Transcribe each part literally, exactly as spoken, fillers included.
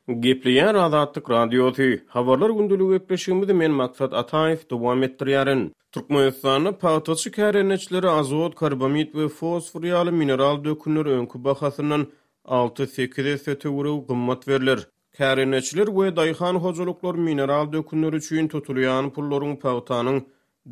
Gepleýär Azatlyk Radiosy. Habarlar gündeligi gepleşigimizi men Maksat Ataýew dowam etdirýärin. Türkmenistanda pagtaçy kärendeçilere azot, karbamid we fosfor ýaly mineral dökünler öňki bahasyndan alty-sekiz esse töweregi gymmat berler. Kärendeçiler we daýhan hojalyklar mineral dökünler üçin tutulýan pullaryň pagtanyň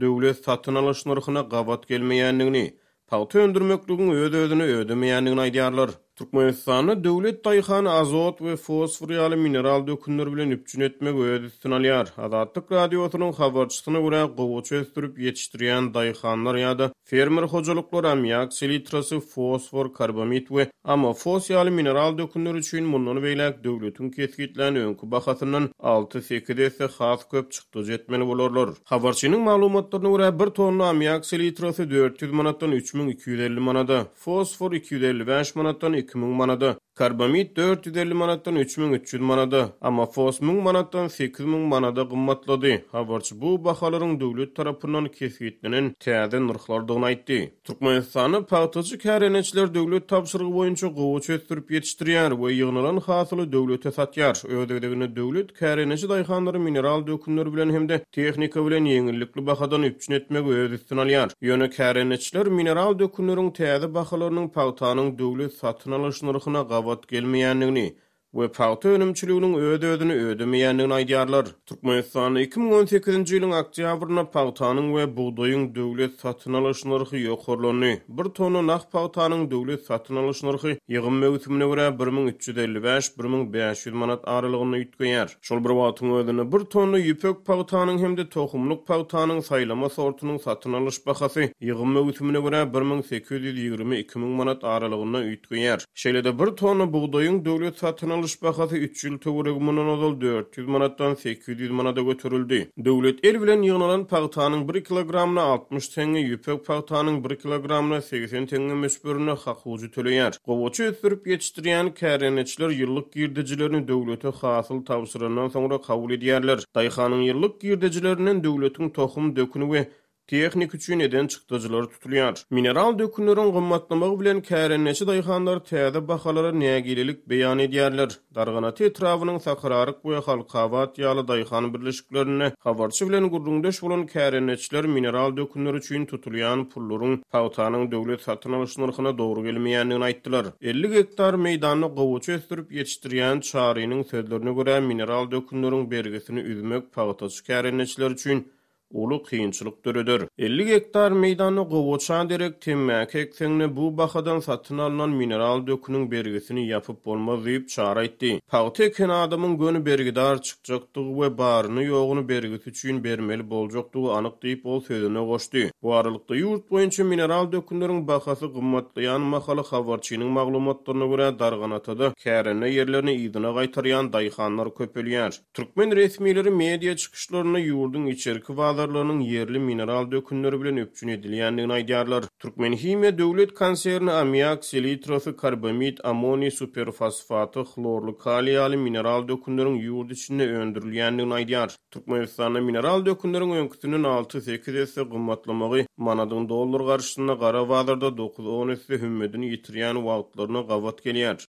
döwlet satyn alyş nyrhyna gabat gelmeýändigini, pagta öndürmekligiň öz-özüni ödemeýändigini aýdýarlar. Türkmenistanda döwlet daýhany azot we fosfor ýaly mineral dökünler bilen üpjün etmegi öz üstüne alýar. Azatlyk Radiosynyň habarçysyna görä, gowaça ösdürip ýetişdirýän daýhanlar ýa-da fermer hojalyklary ammiak selitrasy, fosfor, karbamid we amofos ýaly mineral dökünler üçin mundan beýläk döwletiň kesgitlän öňki bahasyndan alty-sekiz esse has köp çykdajy etmeli bolarlar. Habarçynyň maglumatlaryna görä, bir tonna ammiak selitrasy dört ýüz manatdan üç müň iki ýüz elli manada, fosfor iki ýüz elli bäş manatdan iki müň manada, karbamid dört ýüz elli manatdan üç müň üç ýüz manada, amofos müň manatdan sekiz müň manada gymmatlady. Habarçy bu bahalaryň döwlet tarapyndan kesgitlenen täze nyrhlardygyny aýtdy. Türkmenistanda pagtaçy kärendeçiler döwlet tabşyrygy boýunça gowaça ösdürip ýetişdirýär we ýygnalan hasyly döwlete satýar. Öz gezeginde döwlet kärendeçi daýhanlary mineral dökünler bilen hem-de tehnika bilen ýeňillikli bahadan üpjün etmegi öz üstüne alýar. Ýöne kärendeçiler mineral dökünleriň täze bahalarynyň pagtanyň döwlet satyn alyş nyrhyna gabat gelmeýändigini we pagta önümçiliginiň öz-özüni ödemeýändigini aýdýarlar. Türkmenistanda iki müň on sekizinji ýylyň oktýabrynda pagtanyň we bugdaýyň döwlet satyn alyş nyrhy ýokarlandy. Bir tonna nah pagtanyň döwlet satyn alyş nyrhy ýygym möwsümine görä bir müň üç ýüz elli bäş, bir müň bäş ýüz manat aralygynda üýtgeýär. Şol bir wagtyň özünde bir tonna ýüpek pagtanyň hem-de tohumlyk pagtanyň saýlama sortunyň satyn alyş bahasy ýygym möwsümine görä bir müň sekiz ýüz ýigrimi iki müň manat aralygynda üýtgeýär. Şeýle-de bir tonna bugdaýyň döwlet satyn alyş bahasy üç ýyl töweregi mundan ozal dört ýüz manatdan sekiz ýüz manada göterildi. Döwlet el bilen ýygnalan pagtanyň bir kilogramyna altmyş teňňe, ýüpek pagtanyň bir kilogramyna segsen teňňe möçberinde hakuju töleýär. Gowaça ösdürip ýetişdirýän kärendeçiler ýyllyk girdejilerini döwlete hasyl tabşyrandan soňra kabul edýärler. Daýhanyň ýyllyk girdejilerinden döwletiň tohum döküni we tehnik üçin eden çykdajylary tutulýar. Mineral dökünleriň gymmatlamagy bilen kärendeçi daýhanlar täze bahalara nägilelik beýan edýärler. Darganata etrabynyň Sakararyk we Halkabat ýaly daýhan birleşiklerinde habarçy bilen gürrüňdeş bolan kärendeçiler mineral dökünler üçin tutulýan pullaryň pagtanyň döwlet satyn alyş nyrhyna dogry gelmeýändigini aýtdylar. Elli gektar meýdanda gowaça ösdürip ýetişdirýän Çarynyň sözlerine görä mineral dökünleriň bergisini üzmek pagtaçy kärendeçiler üçin uly kynçylyk döreder. Elli gektar meýdanda gowaça derek temmäki ekseňde bu bahadan satyn alynan mineral döküniň bergisini ýapyp bolmaz diýip Çary aýtdy. Pagta eken adamyň göni bergidar çykjakdygy we baryny ýoguny bergisi üçin bermeli boljakdygy anyk diýip ol sözüne goşdy. Bu aralykda ýurt boýunça mineral dökünleriň bahasy gymmatlaýan mahaly habarçynyň maglumatlaryna görä Darganatada kärende ýerlerini yzyna gaýtarýan daýhanlar köpelýär. Türkmen resmileri media çykyşlarynda ýurduň içerki bazarlarynyň ýerli mineral dökünleri bilen üpjün edilýändigini aýdýarlar. Türkmenhimiýa döwlet konserni ammiak selitrasy, karbamid, ammoniý superfosfaty, hlorly kaliý ýaly mineral dökünleriň ýurt içinde öndürilýändigini aýdýar. Türkmenistanda mineral dökünleriň öňküsinden alty-sekiz esse gymmatlamagy manadyň dollar garşysynda gara bazarda dokuz-on esse hümmedini ýitirýän wagtlaryna gabat gelýär.